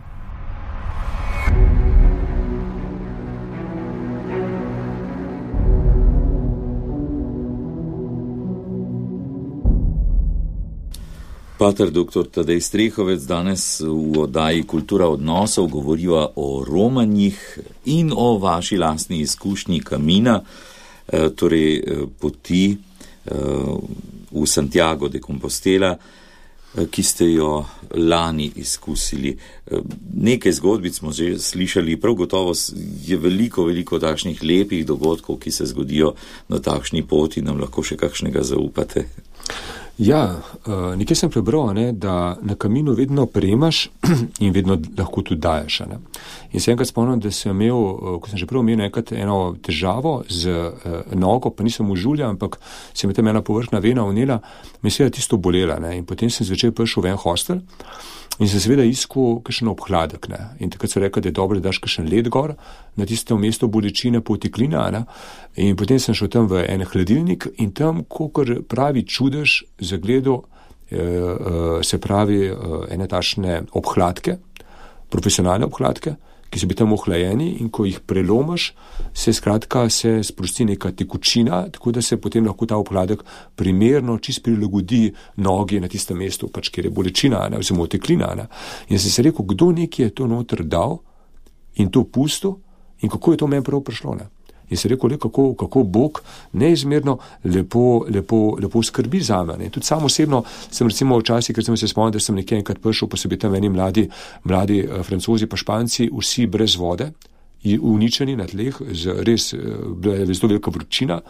Pater doktor Tadej Strehovec danes v oddaji Kultura odnosov govoriva o romanjih in o vaši lastni izkušnji Camina, eh, torej poti eh, v Santiago de Compostela, ki ste jo lani izkusili. Nekaj zgodbic smo že slišali, prav gotovo je veliko, veliko takšnih lepih dogodkov, ki se zgodijo na takšni poti, nam lahko še kakšnega zaupate. Ja, nekaj sem prebral, ne, da na Caminu vedno prejemaš in vedno lahko tudi daješ. Ne. In se enkrat spomnim, da sem imel, ko sem že prav imel enkrat eno težavo z uh, nogo, pa nisem užulja, ampak se mi tam ena površna vena vnela, me je seveda tisto bolela. Ne. In potem sem zvečer prišel v en hostel in sem seveda iskal kakšen obhladek. Ne. In takrat so rekli, da je dobro, da daš kakšen led gor na tisto mesto bolečine po teklina. Ne. In potem sem šel tam v en hladilnik in tam, kakor pravi čudež, zagledal eh, eh, se pravi eh, ene tašne obhladke, profesionalne obhladke, ki so bi tam ohlajeni in ko jih prelomaš, se skratka se sprosti neka tekočina, tako da se potem lahko ta obhladek primerno čist prilagodi nogi na tistem mestu, pač kjer je bolečina, ne, oziroma teklina. Ne. In sem se rekel, kdo neki je to noter dal in to pustil in kako je to meni prav prišlo. Ne. In se rekel, le, kako, kako Bog neizmerno lepo, lepo, lepo skrbi za me. Tudi sam osebno sem recimo včasih, ker sem se spomnil, da sem nekje enkrat prišel, pa so bili tam eni mladi, mladi uh, Francozi pa Španci, vsi brez vode, uničeni na tleh, z res bila je zelo velika vročina.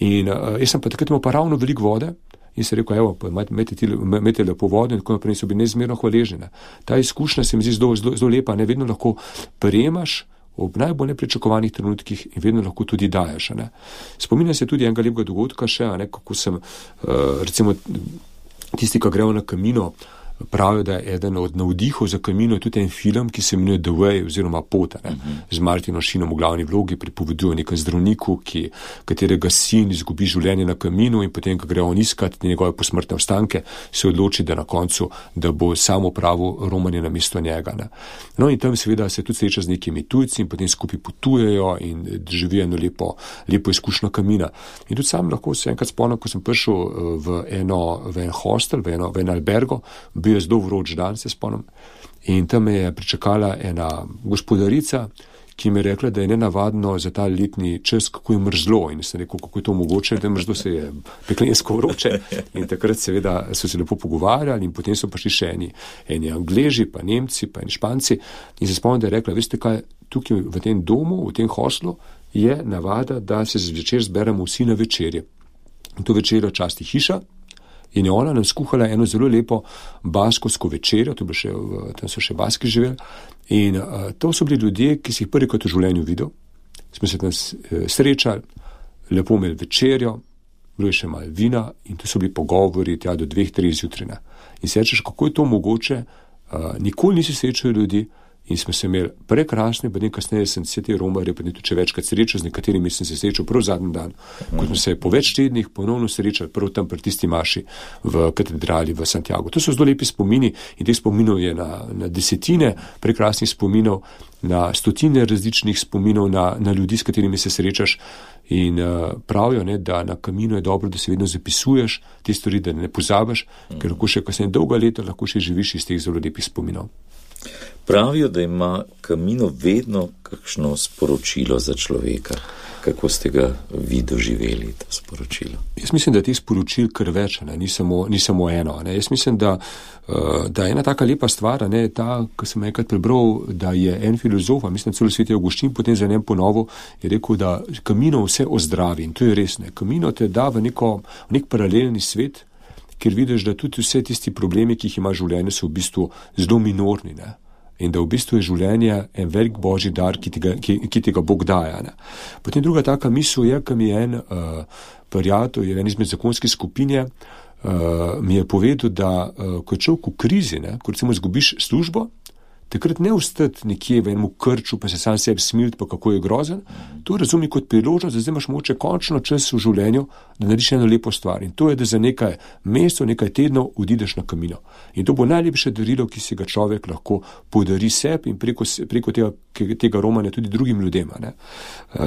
In uh, jaz sem pa takrat imel pa ravno veliko vode in se rekel, evo, imejte lepo vodo in tako naprej, so bili neizmerno hvaležni. Ta izkušnja se mi zdi zelo, zelo, zelo lepa, ne vedno lahko prejemaš ob najbolj nepričakovanih trenutkih in vedno lahko tudi daješ. Ne. Spominjam se tudi enega lepega dogodka še, ne, kako sem, uh, recimo, tisti, ki grejo na Camino, pravijo, da je eden od navdihov za Camino tudi en film, ki se imenuje The Way oziroma Pot, ne, uh-huh. z Martinom Sheenom v glavni vlogi, pripoveduje o nekem zdravniku, ki, katerega sin izgubi življenje na Caminu in potem, ko gre on iskati njegove posmrtne ostanke, se odloči, da na koncu, da bo samo pravo romanje na mesto njega. Ne. No in tam seveda se tudi sreča z nekimi tujci in potem skupaj potujejo in živijo eno lepo, lepo izkušnjo Camina. In tudi sam lahko se enkrat spomnim, ko sem prišel v eno, v en hostel, v eno, v en albergo, bil je zelo vroč dan, se spomnim. In tam me je pričakala ena gospodarica, ki mi je rekla, da je nenavadno za ta letni čas, kako je mrzlo. In sem rekel, kako je to mogoče, da je mrzlo, se je peklensko vroče. In takrat seveda so se lepo pogovarjali in potem so prišli še eni, eni Angleži, pa Nemci, pa eni Španci. In se spomnim, da je rekla, veste kaj, tukaj v tem domu, v tem hostlu je navada, da se zvečer zberemo vsi na večerje. In to večerjo časti hiša. In je ona nam skuhala eno zelo lepo baskovsko večerjo, to še, tam so še baski živeli. In uh, to so bili ljudje, ki si jih prvi kot v življenju videl. Smo se tam srečali, lepo imeli večerjo, bilo je še malo vina in to so bili pogovori tja do dveh, treh zjutraj. In se rečeš, kako je to mogoče, uh, nikoli nisi srečal ljudi in smo se imeli prekrasne, pa nekaj kasneje sem se te romarje, pa ne tudi večkrat srečal, z nekaterimi sem se srečal prav zadnji dan, ko smo se po več tednih ponovno srečali, prav tam pri tisti maši v katedrali v Santiago. To so zelo lepi spomini in teh spominov je na, na desetine prekrasnih spominov, na stotine različnih spominov na, na ljudi, s katerimi se srečaš in uh, pravijo, ne, da na kaminu je dobro, da se vedno zapisuješ te stvari, da ne pozabiš, mm. ker lahko še kasneje dolga leta lahko še živiš iz teh zelo lepih spominov. Pravijo, da ima Camino vedno kakšno sporočilo za človeka. Kako ste ga vi doživeli, to sporočilo? Jaz mislim, da je teh sporočil kar več, ne? Ni, samo, ni samo eno. Ne? Jaz mislim, da, da je ena taka lepa stvar, ne? Ta, ko sem enkrat prebral, da je en filozof, mislim, celo Sveti Avguštin, potem za njem ponovil, je rekel, da Camino vse ozdravi in to je res. Ne? Camino te da v, neko, v nek paralelni svet, ker vidiš, da tudi vse tisti problemi, ki jih ima življenje, so v bistvu zelo minorni, ne? In da v bistvu je življenje en velik božji dar, ki ti ga, ki, ki ti ga Bog daje. Ne? Potem druga taka misel je, ki mi je en uh, prijatelj, je en izmed zakonske skupine, uh, mi je povedal, da uh, ko je človek v krizi, ne, ko recimo izgubiš službo, takrat ne ostati nekje v enem krču, pa se sam sebi smiliti, pa kako je grozen, to razumi kot priložnost, da zdaj imaš mogoče končno čas v življenju, da narediš eno lepo stvar. In to je, da za nekaj mesecev, nekaj tednov odideš na Camino. In to bo najlepše darilo, ki si ga človek lahko podari sebi in preko, preko tega, tega romanja tudi drugim ljudem. Ne?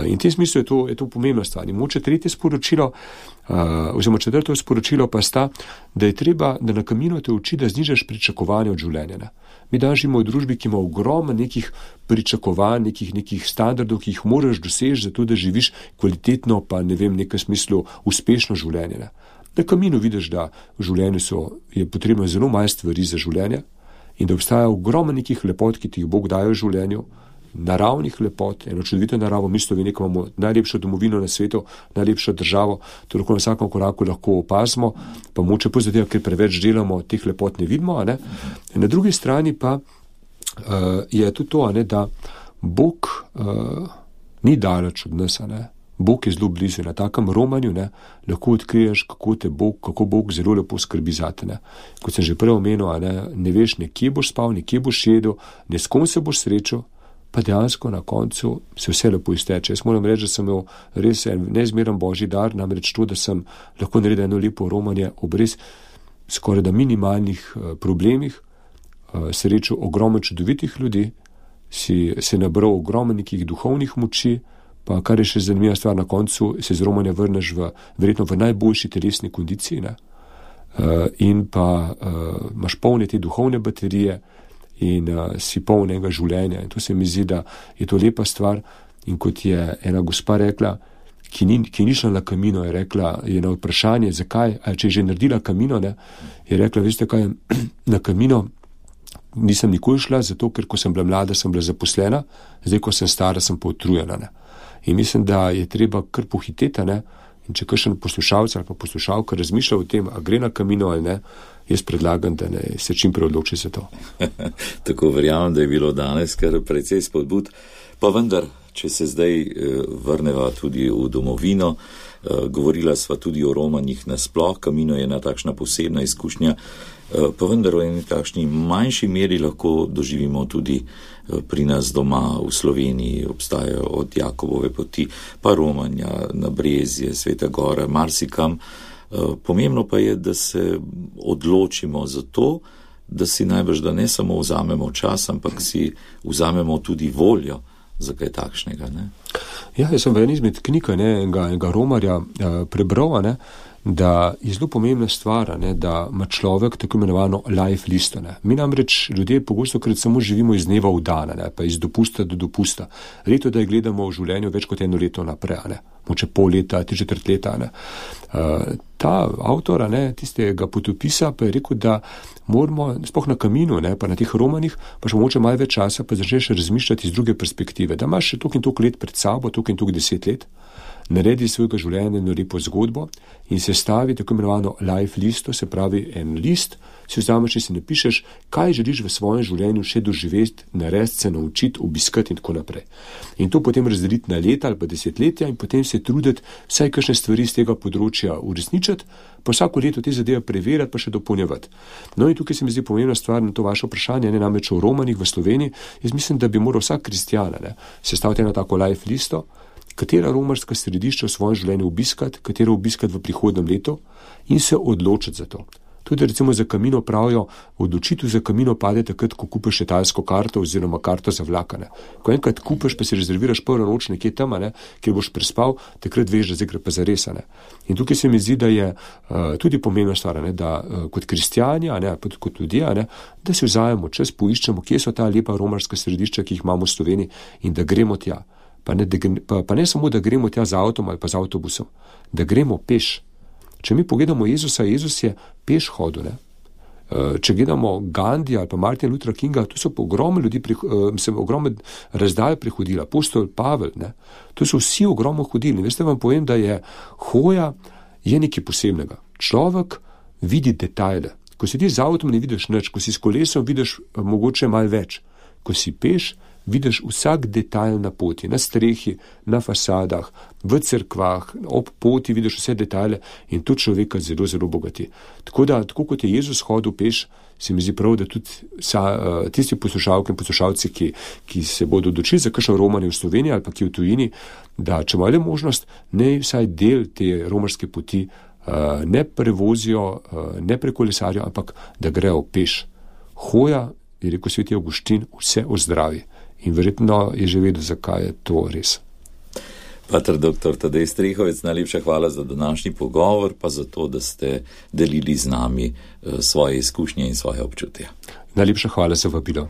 In v tem smislu je to, je to pomembna stvar. In mogoče tretje sporočilo, uh, oziroma četrto sporočilo pa sta, da je treba, da na Camino te uči, da znižaš pričakovanja od življenja. Ne? Mi danes živimo v družbi, ki ima ogromno nekih pričakovanj, nekih, nekih standardov, ki jih moraš doseči, zato da živiš kvalitetno, pa ne vem, v nekem smislu uspešno življenje. Ne? Na Caminu vidiš, da v življenju so, je potrebno zelo malo stvari za življenje in da obstaja ogromno nekih lepot, ki ti jih Bog daje v življenju, naravnih lepot, eno čudovito naravo, mi Sloveniji imamo najlepšo domovino na svetu, najlepšo državo, to lahko na vsakem koraku lahko opazimo, pa moče pozadeva, ker preveč delamo, teh lepot ne vidimo. Ne? Na drugi strani pa uh, je tudi to, ne, da Bog uh, ni daleč od nas, ne? Bog je zelo blizu. Na takem romanju ne, lahko odkriješ, kako te Bog, kako Bog zelo lepo skrbi zate. Ne. Kot sem že prej omenil, ne, ne veš, nekje boš spal, nekje boš jedel, ne s kom se boš srečal, pa dejansko na koncu se vse lepo izteče. Jaz moram reči, da sem imel res en neizmeren božji dar, namreč to, da sem lahko naredil eno lepo romanje ob res skoraj da minimalnih uh, problemih, uh, srečal ogromno čudovitih ljudi, si se nabral ogromno nekih duhovnih moči, pa kar je še zanimiva stvar, na koncu se z romanja vrneš v, verjetno v najboljši telesni kondiciji, ne? Uh, in pa uh, imaš polne te duhovne baterije, in uh, si polnega življenja. In to se mi zdi, da je to lepa stvar. In kot je ena gospa rekla, ki ni, ki ni šla na Camino, je rekla, je na vprašanje, zakaj, a če je že naredila Camino, ne, je rekla, veste kaj, na Camino nisem nikoli šla, zato ker ko sem bila mlada, sem bila zaposlena, zdaj ko sem stara, sem pa utrujena. Ne. In mislim, da je treba kar pohiteti, ne. In če kakšen poslušalec ali pa poslušalka razmišlja o tem, a gre na Camino ali ne, jaz predlagam, da ne se čim prej odloči za to. Tako verjamem, da je bilo danes kar precej spodbud, pa vendar, če se zdaj eh, vrneva tudi v domovino, eh, govorila sva tudi o romanjih nasploh, Camino je ena takšna posebna izkušnja, eh, pa vendar v eni takšni manjši meri lahko doživimo tudi pri nas doma v Sloveniji, obstajajo od Jakobove poti, pa romanja na Brezje, Sveta Gora, marsikam. Pomembno pa je, da se odločimo za to, da si najbrž, da ne samo vzamemo čas, ampak si vzamemo tudi voljo za kaj takšnega. Ne? Ja, jaz sem v eni izmed knjig enega, enega romarja eh, prebral, ne, da je zelo pomembna stvar, ne, da ima človek tako imenovano life listo. Ne. Mi namreč ljudje pogosto krat samo živimo iz dneva v dan, ne, pa iz dopusta do dopusta. Leto, da je gledamo v življenju več kot eno leto naprej, ne. Moče pol leta, tri četrt leta. Ne. Uh, ta avtor, ne, tistega potopisa, pa je rekel, da moramo, sploh na kaminu, ne, pa na teh romanih, pa še moče malo več časa, pa začneš razmišljati iz druge perspektive, da imaš še toliko in toliko let pred sabo, toliko in toliko deset let, naredi svojega življenja eno lepo zgodbo in se stavi tako imenovano life listo, se pravi en list, si vzameš in si napišeš, kaj želiš v svojem življenju še doživeti, narediti, se naučiti, obiskati in tako naprej. In to potem razdeliti na leta ali pa desetletja in potem se truditi vsaj kakšne stvari z tega področja uresničiti, pa vsako leto te zadeve preverjati, pa še dopolnjevati. No in tukaj se mi zdi pomembna stvar na to vaše vprašanje, ne namreč o romanih v Sloveniji. Jaz mislim, da bi moral vsak kristjan sestaviti eno tako life listo, katera romarska središča v svojem življenju obiskati, katero obiskati v prihodnem letu in se odločiti za to. Tudi recimo za kamino pravijo, odločitev za kamino pade takrat, ko kupiš letalsko karto oziroma karto za vlakane. Ko enkrat kupiš, pa si rezerviraš prvo noč nekje tam, ne, kjer boš prespal, takrat veš, da zdaj gre pa zares. Ne. In tukaj se mi zdi, da je uh, tudi pomembna stvar, ne, da uh, kot kristjani, ne, pa tudi kot ljudje, ne, da si vzajemo čas, poiščemo, kje so ta lepa romarska središča, ki jih imamo v Sloveniji in da gremo tja. Pa ne, da, pa, pa ne samo, da gremo tja z avtom ali pa z avtobusom, da gremo peš. Če mi pogledamo Jezusa, Jezus je peš hodil. Ne? Če gledamo Gandija ali pa Martina Luthera Kinga, to so pa ogromno ljudi, mislim, ogromno razdalj prehodila, apostol Pavel, ne? To so vsi ogromno hodili. Veste, vam povem, da je hoja je nekaj posebnega. Človek vidi detajle. Ko si ti z avtom, ne vidiš nič, ko si s kolesom, vidiš mogoče malo več. Ko si peš, vidiš vsak detajl na poti, na strehi, na fasadah, v cerkvah, ob poti vidiš vse detajle in to človeka zelo, zelo bogati. Tako da, tako kot je Jezus hodil peš, se mi zdi prav, da tudi sa, tisti poslušalke in poslušalci, ki, ki se bodo odločili za kakšno romanje v Sloveniji ali pa ki v tujini, da če imajo možnost, ne vsaj del te romarske poti ne prevozijo, ne prekolesarijo, ampak da grejo peš. Hoja, je rekel sveti Avguštin, vse ozdravi. In verjetno je že vedel, zakaj je to res. Pater doktor Tadej Strehovec, najlepša hvala za današnji pogovor, pa za to, da ste delili z nami svoje izkušnje in svoje občutja. Najlepša hvala za vabilo.